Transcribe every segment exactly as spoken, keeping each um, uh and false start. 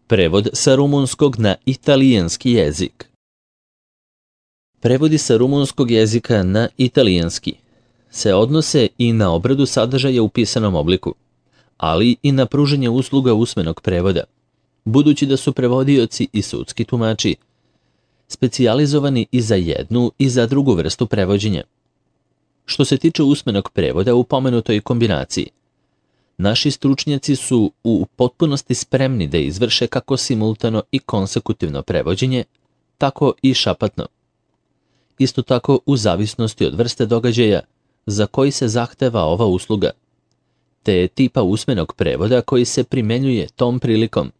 Prevod sa rumunskog na italijanski jezik. Prevodi sa rumunskog jezika na italijanski se odnose i na obradu sadržaja u pisanom obliku, ali i na pružanje usluga usmenog prevoda, budući da su prevodioci i sudski tumači specijalizovani i za jednu i za drugu vrstu prevođenja. Što se tiče usmenog prevoda u pomenutoj kombinaciji, naši stručnjaci su u potpunosti spremni da izvrše kako simultano i konsekutivno prevođenje, tako i šapatno. Isto tako u zavisnosti od vrste događaja za koji se zahteva ova usluga, te tipa usmenog prevoda koji se primenjuje tom prilikom.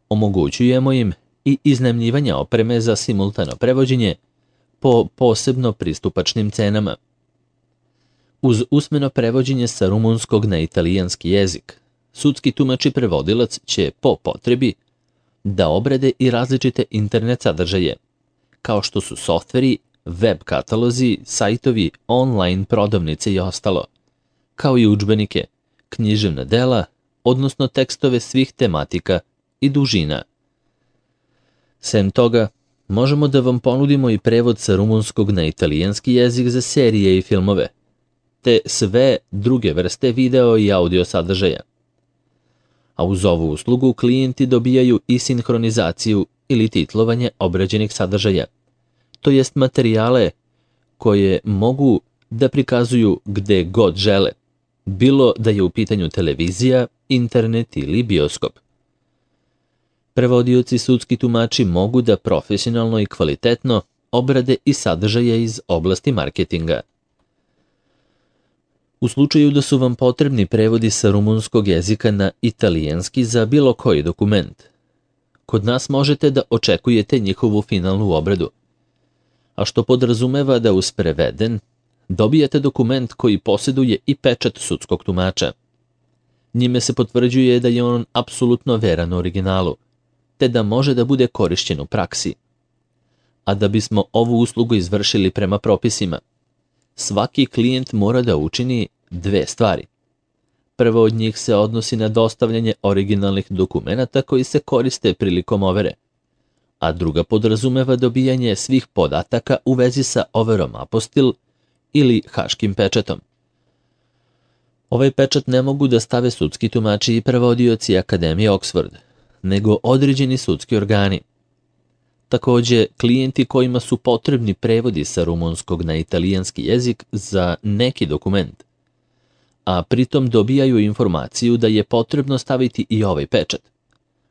Omogućujemo im i iznajmljivanje opreme za simultano prevođenje po posebno pristupačnim cenama. Uz usmeno prevođenje sa rumunskog na italijanski jezik, sudski tumač i prevodilac će po potrebi da obrade i različite internet sadržaje, kao što su softveri, web katalozi, sajtovi, online prodavnice i ostalo, kao i udžbenike, književna dela, odnosno tekstove svih tematika i dužina. Sem toga, možemo da vam ponudimo i prevod sa rumunskog na italijanski jezik za serije i filmove, te sve druge vrste video i audio sadržaja. A uz ovu uslugu klijenti dobijaju i sinhronizaciju ili titlovanje obrađenih sadržaja, to jest materijale koje mogu da prikazuju gde god žele, bilo da je u pitanju televizija, internet ili bioskop. Prevodioci sudski tumači mogu da profesionalno i kvalitetno obrade i sadržaje iz oblasti marketinga. U slučaju da su vam potrebni prevodi sa rumunskog jezika na italijanski za bilo koji dokument, kod nas možete da očekujete njihovu finalnu obradu, a što podrazumeva da uz preveden dobijete dokument koji posjeduje i pečat sudskog tumača. Njime se potvrđuje da je on apsolutno veran originalu, te da može da bude korišćen u praksi. A da bismo ovu uslugu izvršili prema propisima, svaki klijent mora da učini dve stvari. Prvo od njih se odnosi na dostavljanje originalnih dokumenata koji se koriste prilikom overe, a druga podrazumeva dobijanje svih podataka u vezi sa overom apostil ili haškim pečatom. Ovaj pečat ne mogu da stave sudski tumači i prevodioci Akademije Oxford, nego određeni sudski organi. Takođe, klijenti kojima su potrebni prevodi sa rumunskog na italijanski jezik za neki dokument, a pritom dobijaju informaciju da je potrebno staviti i ovaj pečat,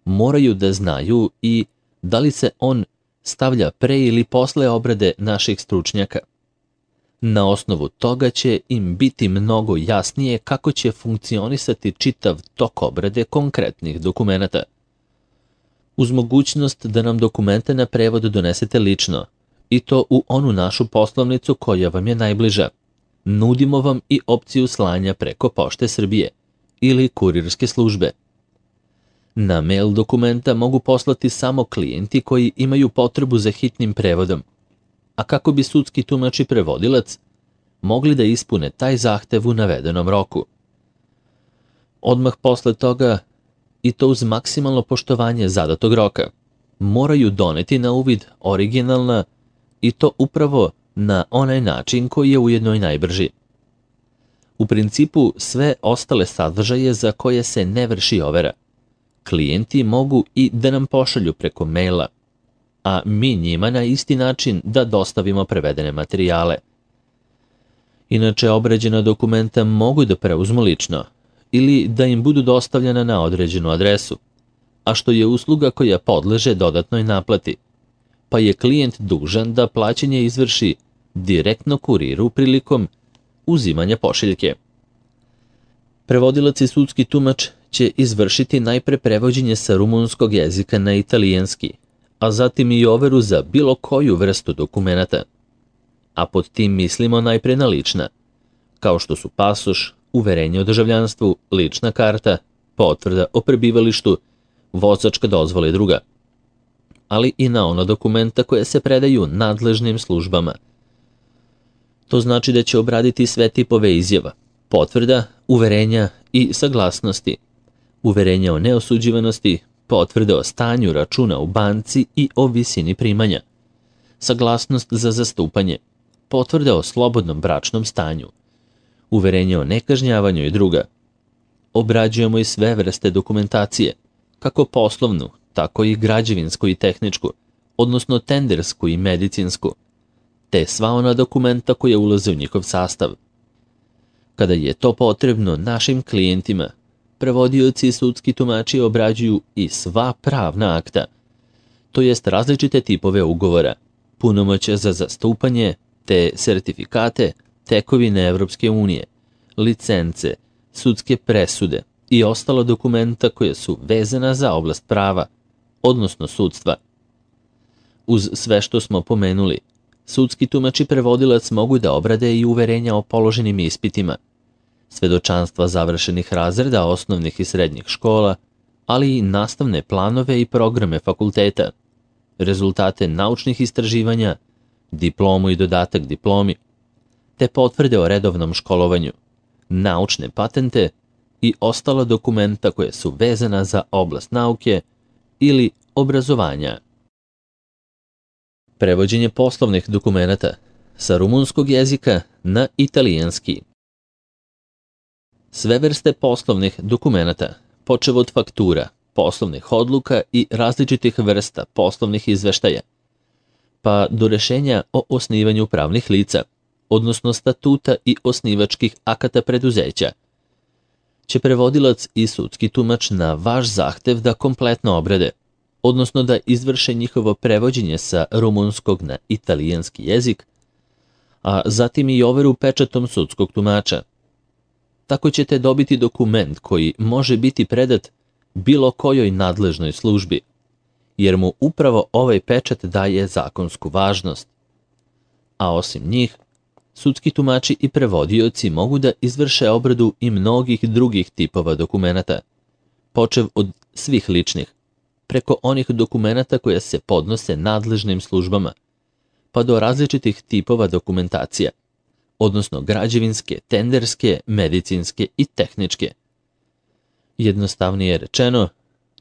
moraju da znaju i da li se on stavlja pre ili posle obrade naših stručnjaka. Na osnovu toga će im biti mnogo jasnije kako će funkcionisati čitav tok obrade konkretnih dokumenata. Uz mogućnost da nam dokumente na prevod donesete lično, i to u onu našu poslovnicu koja vam je najbliža, nudimo vam i opciju slanja preko Pošte Srbije ili kurirske službe. Na mail dokumenta mogu poslati samo klijenti koji imaju potrebu za hitnim prevodom, a kako bi sudski tumač i prevodilac mogli da ispune taj zahtev u navedenom roku. Odmah posle toga, i to uz maksimalno poštovanje zadatog roka, moraju doneti na uvid originalna i to upravo na onaj način koji je ujedno i najbrži. U principu sve ostale sadržaje za koje se ne vrši overa, klijenti mogu i da nam pošalju preko maila, a mi njima na isti način da dostavimo prevedene materijale. Inače, obrađena dokumenta mogu da preuzmu lično ili da im budu dostavljena na određenu adresu, a što je usluga koja podleže dodatnoj naplati, pa je klijent dužan da plaćanje izvrši direktno kuriru prilikom uzimanja pošiljke. Prevodilac i sudski tumač će izvršiti najpre prevođenje sa rumunskog jezika na italijanski, a zatim i overu za bilo koju vrstu dokumenata. A pod tim mislimo najpre na lična, kao što su pasoš, uverenje o državljanstvu, lična karta, potvrda o prebivalištu, vozačka dozvola i druga, ali i na ona dokumenta koje se predaju nadležnim službama. To znači da će obraditi sve tipove izjava, potvrda, uverenja i saglasnosti, uverenja o neosuđivanosti, potvrde o stanju računa u banci i o visini primanja, saglasnost za zastupanje, potvrde o slobodnom bračnom stanju, uverenje o nekažnjavanju i druga. Obrađujemo i sve vrste dokumentacije, kako poslovnu, tako i građevinsku i tehničku, odnosno tendersku i medicinsku, te sva ona dokumenta koja ulaze u njihov sastav. Kada je to potrebno našim klijentima, prevodioci i sudski tumači obrađuju i sva pravna akta, to jest različite tipove ugovora, punomoćja za zastupanje, te sertifikate, tekovine Evropske unije, licence, sudske presude i ostala dokumenta koja su vezana za oblast prava, odnosno sudstva. Uz sve što smo pomenuli, sudski tumač i prevodilac mogu da obrade i uverenja o položenim ispitima, svedočanstva završenih razreda osnovnih i srednjih škola, ali i nastavne planove i programe fakulteta, rezultate naučnih istraživanja, diplomu i dodatak diplomi, te potvrde o redovnom školovanju, naučne patente i ostala dokumenta koje su vezana za oblast nauke ili obrazovanja. Prevođenje poslovnih dokumenata sa rumunskog jezika na italijanski. Sve vrste poslovnih dokumenata, počev od faktura, poslovnih odluka i različitih vrsta poslovnih izveštaja, pa do rešenja o osnivanju pravnih lica, odnosno statuta i osnivačkih akata preduzeća, će prevodilac i sudski tumač na vaš zahtev da kompletno obrade, odnosno da izvrše njihovo prevođenje sa rumunskog na italijanski jezik, a zatim i overu pečatom sudskog tumača. Tako ćete dobiti dokument koji može biti predat bilo kojoj nadležnoj službi, jer mu upravo ovaj pečat daje zakonsku važnost. A osim njih, sudski tumači i prevodioci mogu da izvrše obradu i mnogih drugih tipova dokumenata, počev od svih ličnih, preko onih dokumenata koje se podnose nadležnim službama, pa do različitih tipova dokumentacija, odnosno građevinske, tenderske, medicinske i tehničke. Jednostavnije rečeno,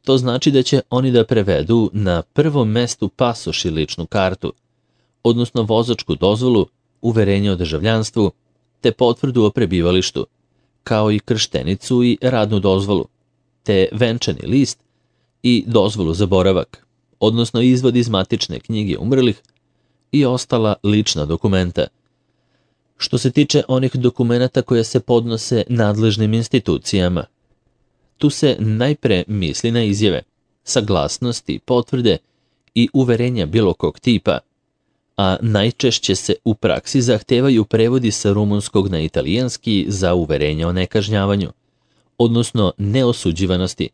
to znači da će oni da prevedu na prvom mestu pasoš i ličnu kartu, odnosno vozačku dozvolu, uverenje o državljanstvu, te potvrdu o prebivalištu, kao i krštenicu i radnu dozvolu, te venčani list i dozvolu za boravak, odnosno izvod iz matične knjige umrlih i ostala lična dokumenta. Što se tiče onih dokumenata koje se podnose nadležnim institucijama, tu se najpre misli na izjave, saglasnosti, potvrde i uverenja bilo kog tipa, a najčešće se u praksi zahtevaju prevodi sa rumunskog na italijanski za uverenje o nekažnjavanju, odnosno neosuđivanosti,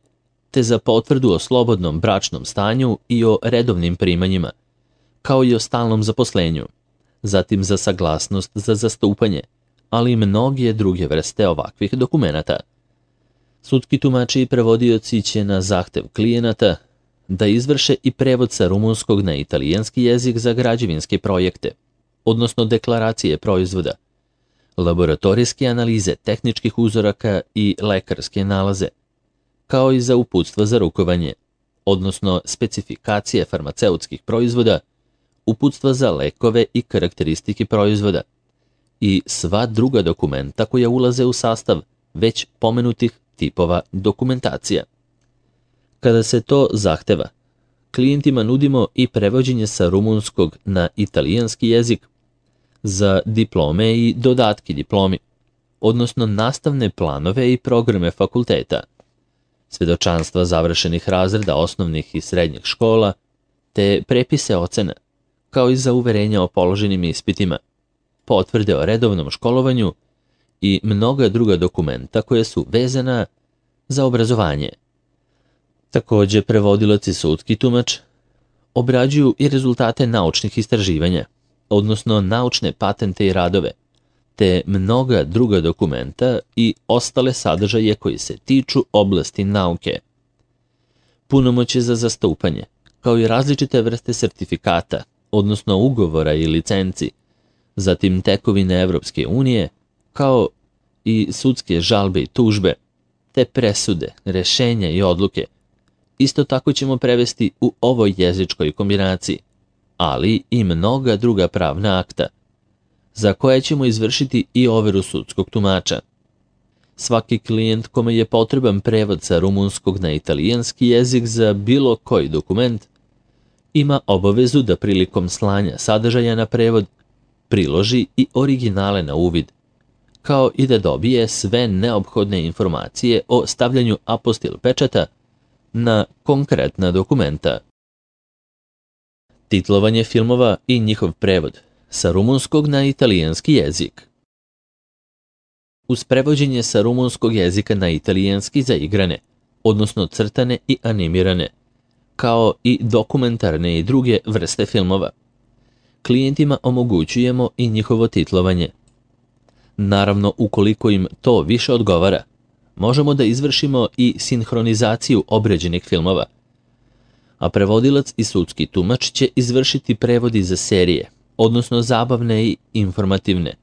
te za potvrdu o slobodnom bračnom stanju i o redovnim primanjima, kao i o stalnom zaposlenju, zatim za saglasnost za zastupanje, ali i mnoge druge vrste ovakvih dokumenata. Sudski tumači i prevodioci će na zahtev klijenata da izvrše i prevod sa rumunskog na italijanski jezik za građevinske projekte, odnosno deklaracije proizvoda, laboratorijske analize tehničkih uzoraka i lekarske nalaze, kao i za uputstva za rukovanje, odnosno specifikacije farmaceutskih proizvoda, uputstva za lekove i karakteristike proizvoda i sva druga dokumenta koja ulaze u sastav već pomenutih tipova dokumentacija. Kada se to zahteva, klijentima nudimo i prevođenje sa rumunskog na italijanski jezik za diplome i dodatki diplomi, odnosno nastavne planove i programe fakulteta, svedočanstva završenih razreda osnovnih i srednjih škola, te prepise ocena, kao i za uverenja o položenim ispitima, potvrde o redovnom školovanju i mnoga druga dokumenta koje su vezana za obrazovanje. Također, prevodilac i sudski tumač obrađuju i rezultate naučnih istraživanja, odnosno naučne patente i radove, te mnoga druga dokumenta i ostale sadržaje koji se tiču oblasti nauke. Punomoćje za zastupanje, kao i različite vrste sertifikata, odnosno ugovora i licenci, zatim tekovine Evropske unije, kao i sudske žalbe i tužbe, te presude, rešenja i odluke, isto tako ćemo prevesti u ovoj jezičkoj kombinaciji, ali i mnoga druga pravna akta, za koje ćemo izvršiti i overu sudskog tumača. Svaki klijent kome je potreban prevod sa rumunskog na italijanski jezik za bilo koji dokument ima obavezu da prilikom slanja sadržaja na prevod priloži i originale na uvid, kao i da dobije sve neophodne informacije o stavljanju apostil pečata na konkretna dokumenta. Titlovanje filmova i njihov prevod sa rumunskog na italijanski jezik. Uz prevođenje sa rumunskog jezika na italijanski za igrane, odnosno crtane i animirane, kao i dokumentarne i druge vrste filmova, klijentima omogućujemo i njihovo titlovanje. Naravno, ukoliko im to više odgovara, možemo da izvršimo i sinhronizaciju obređenih filmova, a prevodilac i sudski tumač će izvršiti prevodi za serije, odnosno zabavne i informativne,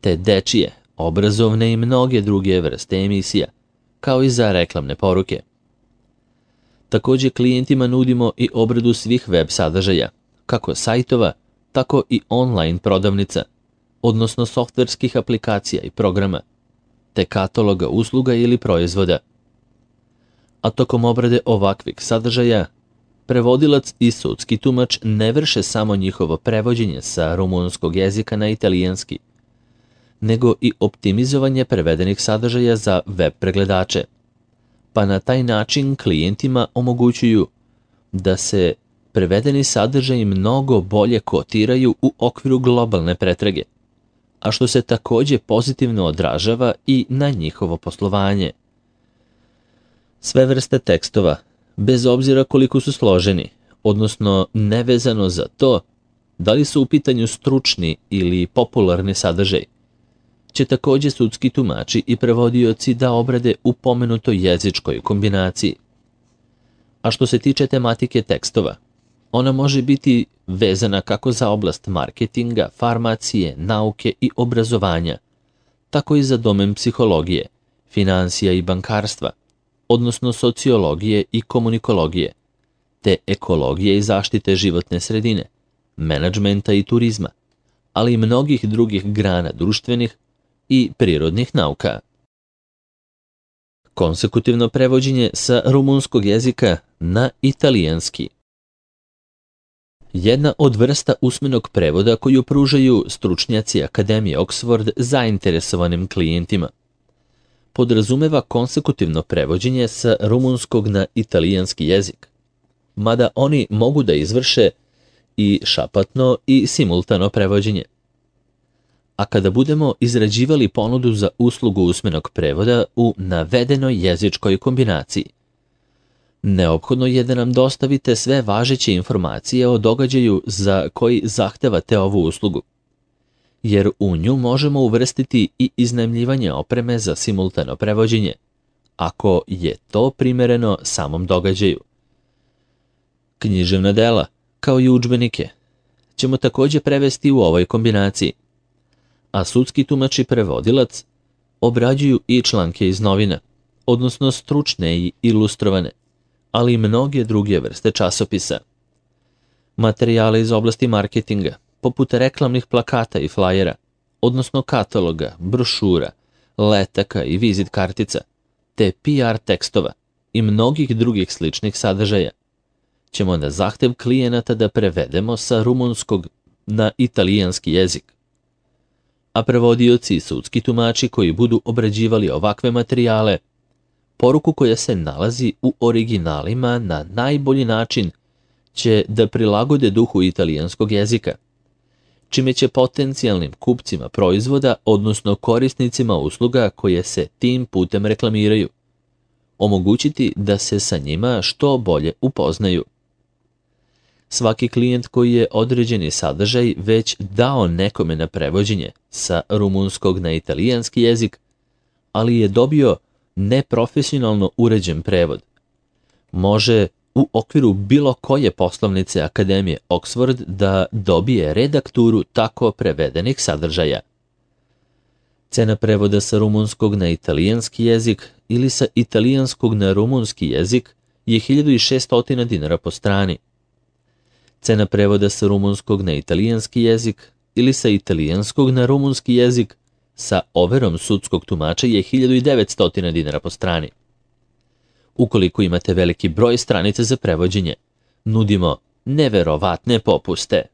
te dečije, obrazovne i mnoge druge vrste emisija, kao i za reklamne poruke. Također klijentima nudimo i obradu svih web sadržaja, kako sajtova, tako i online prodavnica, odnosno softverskih aplikacija i programa, te kataloga usluga ili proizvoda. A tokom obrade ovakvih sadržaja, prevodilac i sudski tumač ne vrše samo njihovo prevođenje sa rumunskog jezika na italijanski, nego i optimizovanje prevedenih sadržaja za web pregledače, pa na taj način klijentima omogućuju da se prevedeni sadržaji mnogo bolje kotiraju u okviru globalne pretrage, a što se također pozitivno odražava i na njihovo poslovanje. Sve vrste tekstova, bez obzira koliko su složeni, odnosno nevezano za to da li su u pitanju stručni ili popularni sadržaj, će također sudski tumači i prevodioci da obrade u pomenutoj jezičkoj kombinaciji. A što se tiče tematike tekstova, ona može biti vezana kako za oblast marketinga, farmacije, nauke i obrazovanja, tako i za domen psihologije, financija i bankarstva, odnosno sociologije i komunikologije, te ekologije i zaštite životne sredine, menadžmenta i turizma, ali i mnogih drugih grana društvenih i prirodnih nauka. Konsekutivno prevođenje sa rumunskog jezika na italijanski. Jedna od vrsta usmenog prevoda koju pružaju stručnjaci Akademije Oxford zainteresovanim klijentima podrazumeva konsekutivno prevođenje sa rumunskog na italijanski jezik, mada oni mogu da izvrše i šapatno i simultano prevođenje. A kada budemo izrađivali ponudu za uslugu usmenog prevoda u navedenoj jezičkoj kombinaciji, neophodno je da nam dostavite sve važeće informacije o događaju za koji zahtevate ovu uslugu, jer u nju možemo uvrstiti i iznajmljivanje opreme za simultano prevođenje, ako je to primereno samom događaju. Književna dela, kao i udžbenike, ćemo također prevesti u ovoj kombinaciji, a sudski tumač i prevodilac obrađuju i članke iz novina, odnosno stručne i ilustrovane, ali i mnoge druge vrste časopisa. Materijale iz oblasti marketinga, poput reklamnih plakata i flajera, odnosno kataloga, brošura, letaka i vizit kartica, te P R tekstova i mnogih drugih sličnih sadržaja, ćemo na zahtev klijenata da prevedemo sa rumunskog na italijanski jezik. A prevodioci i sudski tumači koji budu obrađivali ovakve materijale, poruku koja se nalazi u originalima na najbolji način će da prilagode duhu italijanskog jezika, čime će potencijalnim kupcima proizvoda, odnosno korisnicima usluga koje se tim putem reklamiraju, omogućiti da se sa njima što bolje upoznaju. Svaki klijent koji je određeni sadržaj već dao nekome na prevođenje sa rumunskog na italijanski jezik, ali je dobio neprofesionalno uređen prevod, može u okviru bilo koje poslovnice Akademije Oxford da dobije redakturu tako prevedenih sadržaja. Cena prevoda sa rumunskog na italijanski jezik ili sa italijanskog na rumunski jezik je hiljadu šessto dinara po strani. Cena prevoda sa rumunskog na italijanski jezik ili sa italijanskog na rumunski jezik sa overom sudskog tumača je hiljadu devetsto dinara po strani. Ukoliko imate veliki broj stranica za prevođenje, nudimo neverovatne popuste.